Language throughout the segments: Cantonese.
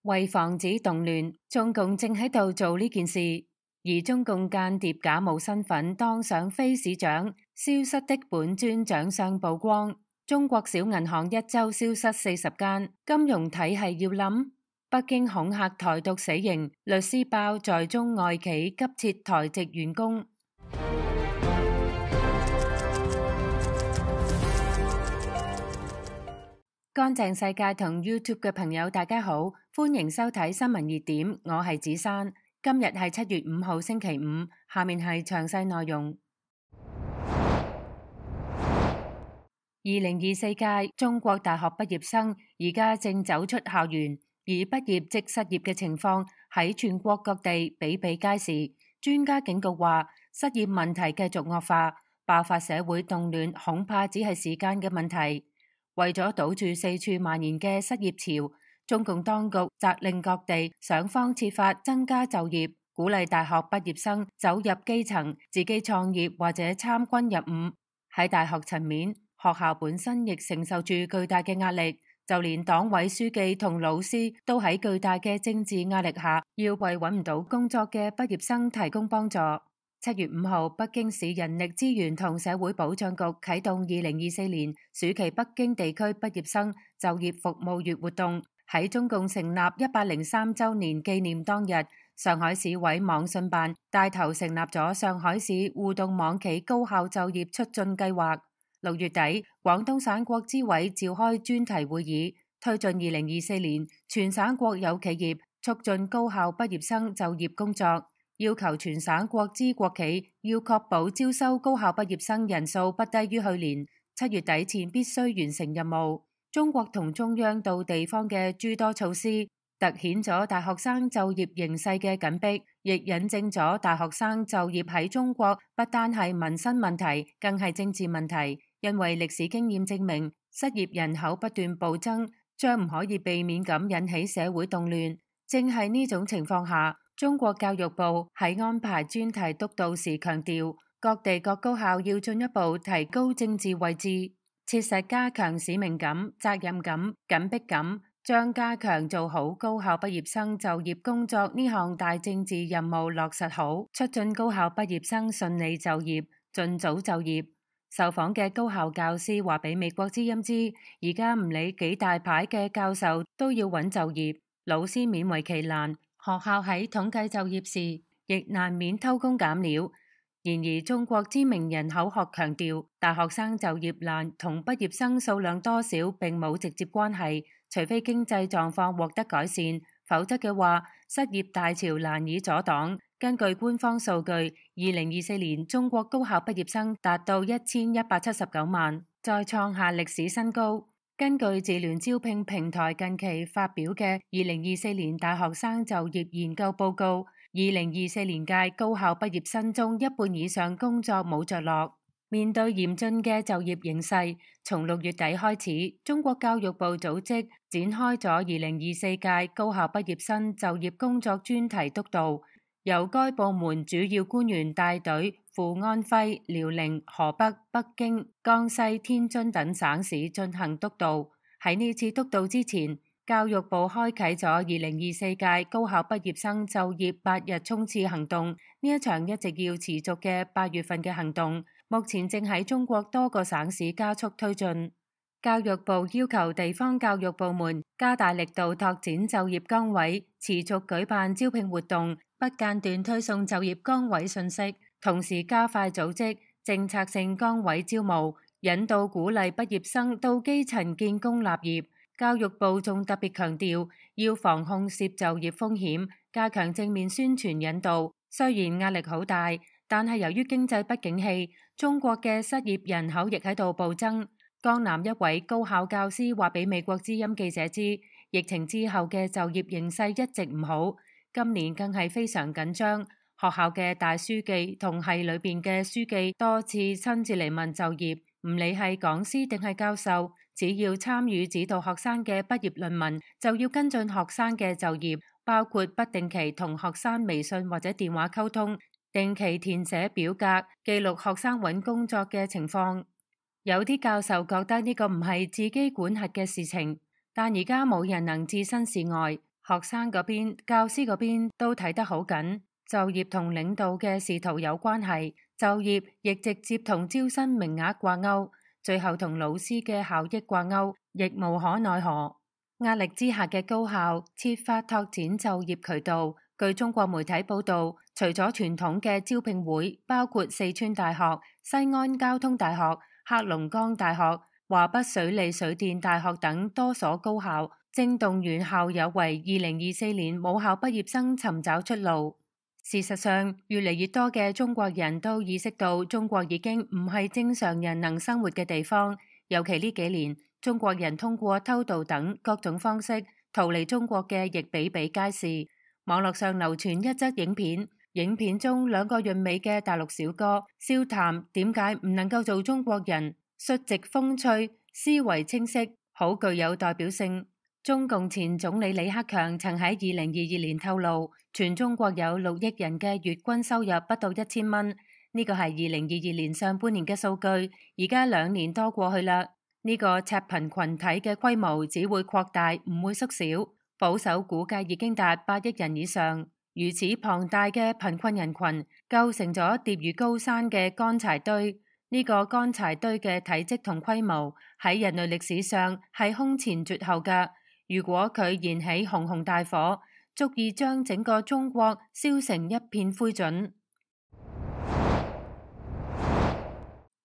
為防止動亂，中共正喺度做呢件事，而中共間諜假冒身份當上非市長，消失的本尊長相曝光。中國小銀行一周消失40間，金融體系要冧。北京恐嚇台獨死刑，律師爆在中外企急撤台籍員工。乾淨世界同 YouTube 嘅朋友大家好，歡迎收睇新聞熱點，我係子珊。今日係7月5號星期五，下面係詳細內容。2024屆中國大學畢業生而家正走出校園，而畢業即失業嘅情況喺全國各地比比皆是。專家警告話，失業問題繼續惡化，爆發社會動亂恐怕只係時間嘅問題。為咗堵住四處蔓延嘅失業潮，中共當局責令各地想方設法增加就業，鼓勵大學畢業生走入基層，自己創業或者參軍入伍。喺大學層面，學校本身亦承受住巨大嘅壓力，就連黨委書記同老師都喺巨大嘅政治壓力下，要為揾唔到工作嘅畢業生提供幫助。7月5號，北京市人力資源同社會保障局啟動2024年暑期北京地區畢業生就業服務月活動。喺中共成立103週年紀念當日，上海市委網信辦帶頭成立咗上海市互動網企高校就業促進計劃。6月底，廣東省國資委召開專題會議，推進2024年全省國有企業促進高校畢業生就業工作。要求全省國資國企要確保招收高校畢業生人數不低於去年7月底前必須完成任務。中國同中央到地方嘅諸多措施，凸顯咗大學生就業形勢嘅緊迫，亦引證咗大學生就業喺中國不單係民生問題，更係政治問題。因為歷史經驗證明，失業人口不斷暴增，將唔可以避免咁引起社會動亂。正係呢種情況下，中國教育部喺安排專題督導時強調，各地各高校要進一步提高政治位置，切實加強使命感、責任感、緊迫感，將加強做好高校畢業生就業工作呢項大政治任務落實好，促進高校畢業生順利就業、盡早就業。受訪嘅高校教師話俾美國之音知，而家唔理幾大牌嘅教授都要揾就業，老師勉為其難。學校喺統計就業時，亦難免偷工減料。然而，中國知名人口學強調，大學生就業難同畢業生數量多少並冇直接關係，除非經濟狀況獲得改善，否則嘅話，失業大潮難以阻擋。根據官方數據，2024年中國高校畢業生達到1179萬，再創下歷史新高。根據智聯招聘平台近期發表嘅2024年大學生就業研究報告，2024年屆高校畢業生中一半以上工作冇着落。面對嚴峻嘅就業形勢，從6月底開始，中國教育部組織展開咗2024屆高校畢業生就業工作專題督導，由該部門主要官員帶隊赴安徽、遼寧、河北、北京、江西、天津等省市進行督導。喺呢次督導之前，教育部開啟咗2024屆高校畢業生就業8日衝刺行動。呢一場一直要持續嘅8月份嘅行動，目前正喺中國多個省市加速推進。教育部要求地方教育部門加大力度拓展就業崗位，持續舉辦招聘活動，不間斷推送就業崗位信息，同時加快組織政策性崗位招募，引導鼓勵畢業生到基層建功立業。教育部仲特別強調，要防控涉就業風險，加強正面宣傳引導。雖然壓力好大，但係由於經濟不景氣，中國嘅失業人口亦喺度暴增。江南一位高校教師話俾美國之音記者知，疫情之後嘅就業形勢一直唔好，今年更係非常緊張。學校嘅大書記同系裏邊嘅書記多次親自嚟問就業，唔理係講師定係教授，只要參與指導學生嘅畢業論文，就要跟進學生嘅就業，包括不定期同學生微信或者電話溝通，定期填寫表格，記錄學生揾工作嘅情況。有啲教授覺得呢個唔係自己管轄嘅事情，但而家冇人能置身事外。學生嗰邊、教師嗰邊都睇得好緊，就業同領導嘅仕途有關係，就業亦直接同招生名額掛鈎，最後同老師嘅效益掛鈎，亦無可奈何。壓力之下嘅高校設法拓展就業渠道。據中國媒體報道，除咗傳統嘅招聘會，包括四川大學、西安交通大學、黑龍江大學、華北水利水電大學等多所高校，正動員校友為2024年母校畢業生尋找出路。事實上，越嚟越多嘅中國人都意識到中國已經唔係正常人能生活嘅地方，尤其呢幾年，中國人通過偷渡等各種方式逃離中國嘅亦比比皆是。網絡上流傳一則影片，影片中兩個俊美嘅大陸小哥笑談點解唔能夠做中國人，率直風趣，思維清晰，好具有代表性。中共前總理李克強曾喺2022年透露，全中國有6億人嘅月均收入不到1000蚊，呢個係2022年上半年嘅數據，而家2年多過去啦，呢個赤貧群體嘅規模只會擴大，唔會縮小。保守估計已經達8億人以上，如此龐大嘅貧困人群構成咗疊如高山嘅乾柴堆。呢個乾柴堆嘅體積同規模喺人類歷史上係空前絕後㗎。如果佢燃起熊熊大火，足以將整個中國燒成一片灰燼。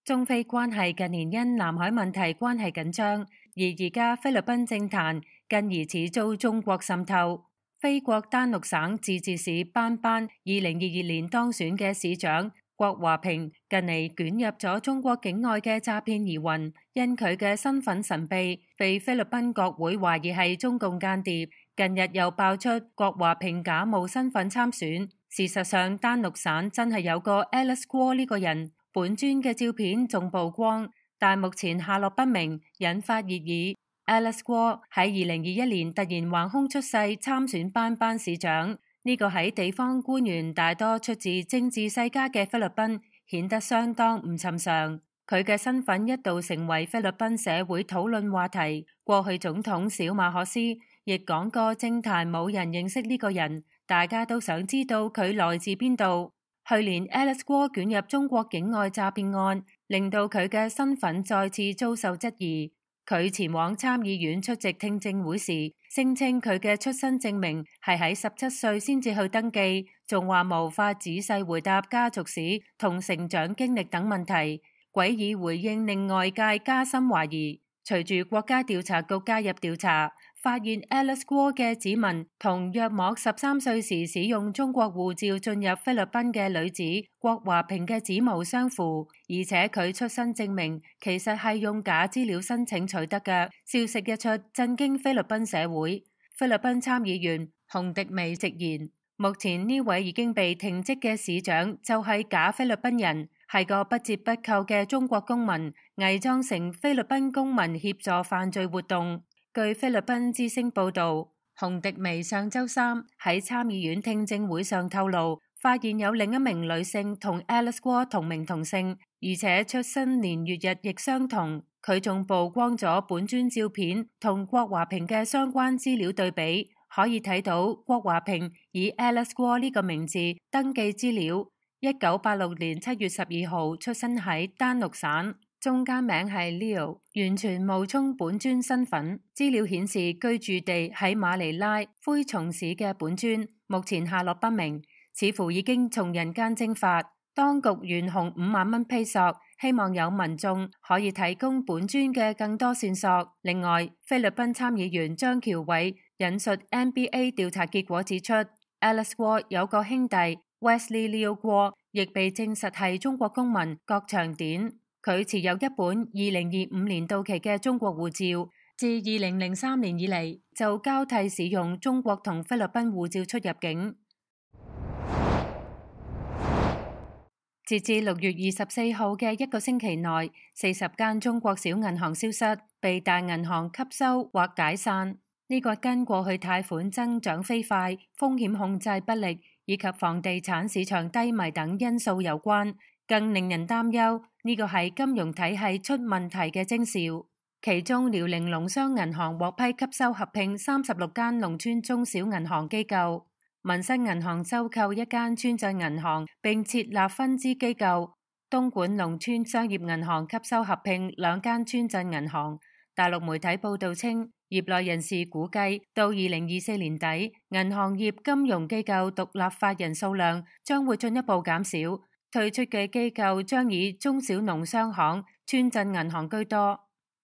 中菲關係近年因南海問題關係緊張，而家菲律賓政壇更疑似遭中國滲透。菲國丹陸省自治市班班2022年當選嘅市長郭華平近嚟捲入咗中國境外嘅詐騙疑雲，因佢嘅身份神秘，被菲律賓國會懷疑係中共間諜。近日又爆出郭華平假冒身份參選，事實上丹陸省真係有個 Alice Guo 呢個人。本尊嘅照片仲曝光，但目前下落不明，引發熱議。Alice Guo 喺2021年突然橫空出世參選班班市長，呢個喺地方官員大多出自政治世家嘅菲律賓，顯得相當唔尋常。佢嘅身份一度成為菲律賓社會討論話題。過去總統小馬可斯亦講過，政壇冇人認識呢個人，大家都想知道佢來自邊度。去年 Alice Guo 捲入中國境外詐騙案，令到佢嘅身份再次遭受質疑。佢前往參議院出席聽證會時，聲稱佢嘅出生證明係喺17歲先至去登記，仲話無法仔細回答家族史同成長經歷等問題。詭異回應令外界加深懷疑。隨住國家調查局介入調查，發現 Alice Guo 嘅指紋同約莫13歲時使用中國護照進入菲律賓嘅女子郭華平嘅指模相符，而且佢出生證明其實係用假資料申請取得嘅。消息一出，震驚菲律賓社會。菲律賓參議員洪迪美直言，目前呢位已經被停職嘅市長就係假菲律賓人，係個不折不扣嘅中國公民，偽裝成菲律賓公民協助犯罪活動。據菲律賓之聲報導，洪迪美上週三喺參議院聽證會上透露，發現有另一名女性同 Alice Guo 同名同姓，而且出生年月日亦相同。佢仲曝光咗本尊照片同郭華平嘅相關資料對比，可以睇到郭華平以 Alice Guo 呢個名字登記資料。1986年7月12號出生喺丹陸省，中間名係 Leo， 完全冒充本尊身份。資料顯示居住地喺馬尼拉灰松市嘅本尊，目前下落不明，似乎已經從人間蒸發。當局懸紅5萬蚊披索，希望有民眾可以提供本尊嘅更多線索。另外，菲律賓參議員張喬偉引述 NBA 調查結果指出， Alice Guo 有個兄弟Wesley Leo Guo 亦被證實係中國公民郭長典，佢持有一本2025年到期嘅中國護照，自2003年以嚟就交替使用中國同菲律賓護照出入境。截至6月24號嘅一個星期內，40間中國小銀行消失，被大銀行吸收或解散。呢個跟過去貸款增長飛快、風險控制不力以及房地產市場低迷等因素有關。更令人擔憂，呢個係金融體系出問題嘅徵兆。其中遼寧農商銀行獲批吸收合併36間農村中小銀行機構，民生銀行收購一間村鎮銀行並設立分支機構，東莞農村商業銀行吸收合併2間村鎮銀行。大陸媒體報道稱，業內人士估計到2024年底，銀行業金融機構獨立法人數量將會進一步減少，退出嘅機構將以中小農商行、村鎮銀行居多。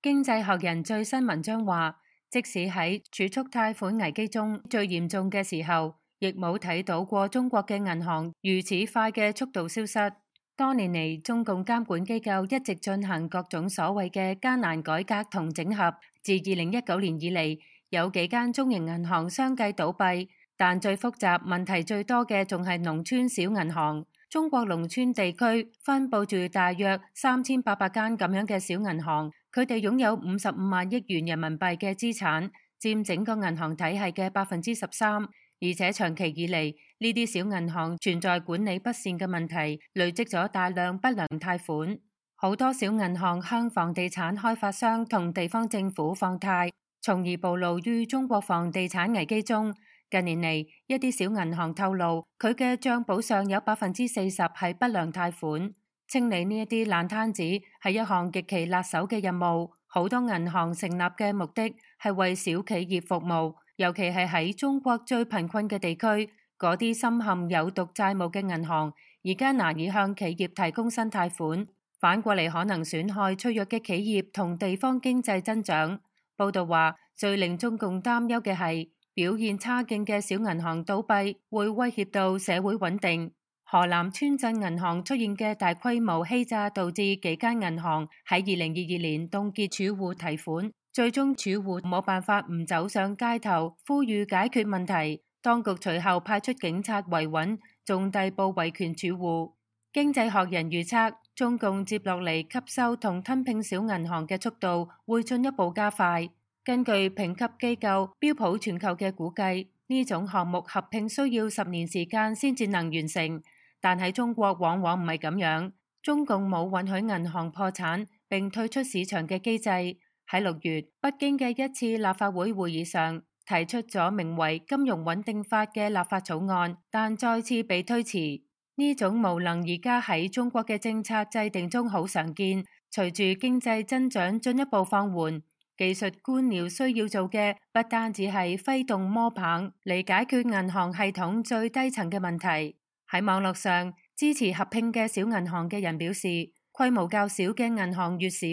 經濟學人最新文章話，即使喺儲蓄貸款危機中最嚴重嘅時候，亦冇睇到過中國嘅銀行如此快嘅速度消失。多年嚟，中共監管機構一直進行各種所謂嘅艱難改革同整合。自2019年以嚟，有幾間中型銀行相繼倒閉，但最複雜、問題最多嘅仲係農村小銀行。中國農村地區分佈住大約3800間咁樣嘅小銀行，佢哋擁有55萬億元人民幣嘅資產，佔整個銀行體系嘅13%。而且長期以嚟，呢啲小銀行存在管理不善嘅問題，累積咗大量不良貸款。好多小銀行向房地產開發商同地方政府放貸，從而暴露於中國房地產危機中。近年嚟，一啲小銀行透露，佢嘅賬簿上有40%係不良貸款。清理呢一啲爛攤子係一項極其辣手嘅任務。好多銀行成立嘅目的係為小企業服務。尤其係喺中國最貧困嘅地區，嗰啲深陷有毒債務嘅銀行，而家難以向企業提供新貸款，反過嚟可能損害脆弱嘅企業同地方經濟增長。報道話，最令中共擔憂嘅係表現差勁嘅小銀行倒閉，會威脅到社會穩定。河南村鎮銀行出現嘅大規模欺詐，導致幾間銀行喺2022年凍結儲戶提款。最終儲戶冇辦法唔走上街頭呼籲解決問題，當局隨後派出警察維穩，仲逮捕維權儲戶。經濟學人預測，中共接落嚟吸收同吞併小銀行嘅速度會進一步加快。根據評級機構標普全球嘅估計，呢種項目合併需要10年時間先至能完成，但喺中國往往唔係咁樣，中共冇允許銀行破產並退出市場嘅機制。喺6月，北京嘅一次立法會會議上提出咗名為《金融穩定法》嘅立法草案，但再次被推遲。呢種無能而家喺中國嘅政策制定中好常見。隨住經濟增長進一步放緩，技術官僚需要做嘅不單止係揮動摸棒嚟解決銀行系統最低層嘅問題。喺網絡上，支持合併嘅小銀行嘅人表示，規模較小嘅銀行越少，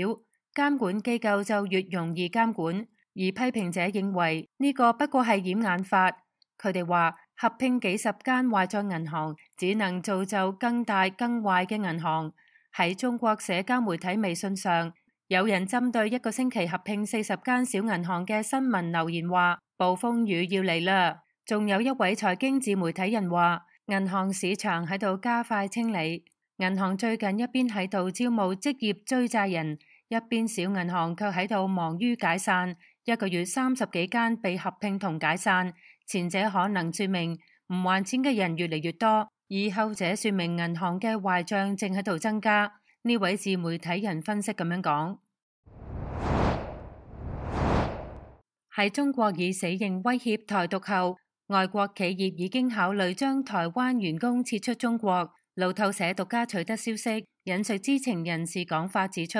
監管機構就越容易監管，而批評者認為呢個不過係掩眼法。佢哋話，合併幾十間壞賬銀行，只能造就更大更壞嘅銀行。喺中國社交媒體微信上，有人針對一個星期合併40間小銀行嘅新聞留言話，暴風雨要嚟啦。仲有一位財經自媒體人話，銀行市場喺度加快清理，銀行最近一邊喺度招募職業追債人，一邊小銀行卻喺度忙於解散，一個月30幾間被合併同解散。前者可能說明唔還錢嘅人越嚟越多，而後者說明銀行嘅壞賬正喺度增加。呢位自媒體人分析咁樣講。喺中國以死刑威脅台獨後，外國企業已經考慮將台灣員工撤出中國。路透社獨家取得消息，引述知情人士講法指出，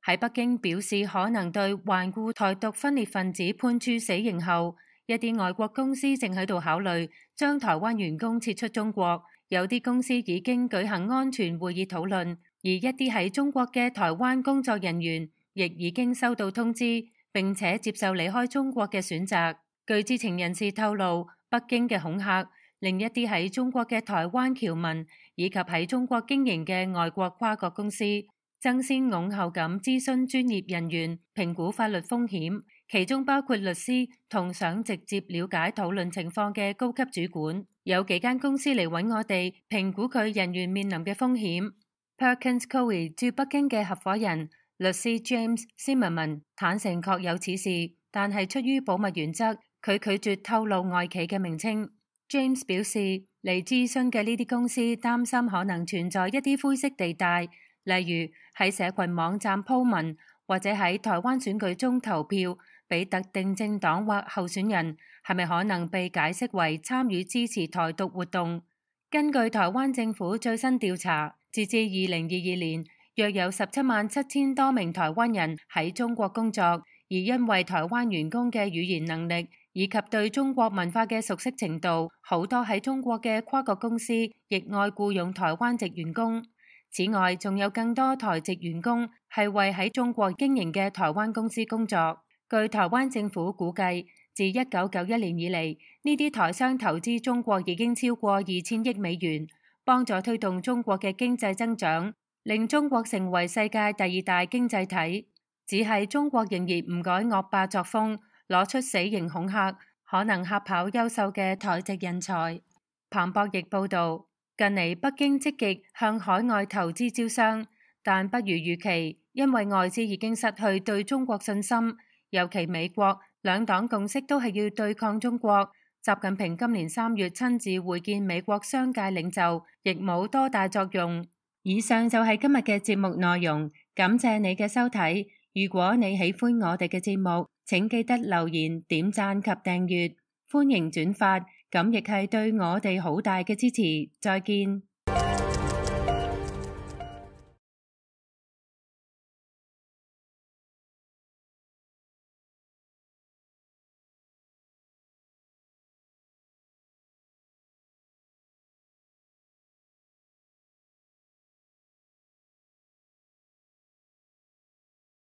喺北京表示可能對頑固台獨分裂分子判處死刑後，一啲外國公司正喺度考慮將台灣員工撤出中國。有啲公司已經舉行安全會議討論，而一啲喺中國嘅台灣工作人員亦已經收到通知，並且接受離開中國嘅選擇。據知情人士透露，北京嘅恐嚇令一啲喺中國嘅台灣僑民以及喺中國經營嘅外國跨國公司爭先恐後咁諮詢專業人員評估法律風險，其中包括律師同想直接了解討論情況嘅高級主管。有幾間公司嚟揾我哋評估佢人員面臨嘅風險。Perkins Coie 駐北京嘅合夥人律師 James Zimmerman 坦承確有此事，但係出於保密原則，佢拒絕透露外企嘅名稱。James 表示，嚟諮詢嘅呢啲公司擔心可能存在一啲灰色地帶，例如喺社群網站鋪文或者喺台灣選舉中投票俾特定政黨或候選人，係咪可能被解釋為參與支持台獨活動？根據台灣政府最新調查，截至2022年，約有177000多名台灣人喺中國工作，而因為台灣員工嘅語言能力以及對中國文化嘅熟悉程度，好多喺中國嘅跨國公司亦愛僱用台灣籍員工。此外，仲有更多台籍員工係為喺中國經營嘅台灣公司工作。據台灣政府估計，自1991年以嚟，呢啲台商投資中國已經超過2000億美元，幫助推動中國嘅經濟增長，令中國成為世界第2大經濟體。只係中國仍然唔改惡霸作風，攞出死刑恐嚇，可能嚇跑優秀嘅台籍人才。彭博亦報導，近嚟北京積極向海外投資招商，但不如預期，因為外資已經失去對中國信心，尤其美國兩黨共識都係要對抗中國。習近平今年3月親自會見美國商界領袖，亦冇多大作用。以上就係今日嘅節目內容，感謝你嘅收睇。如果你喜歡我哋嘅節目，請記得留言、點讚及訂閱，歡迎轉發。咁亦係對我哋好大嘅支持。再見。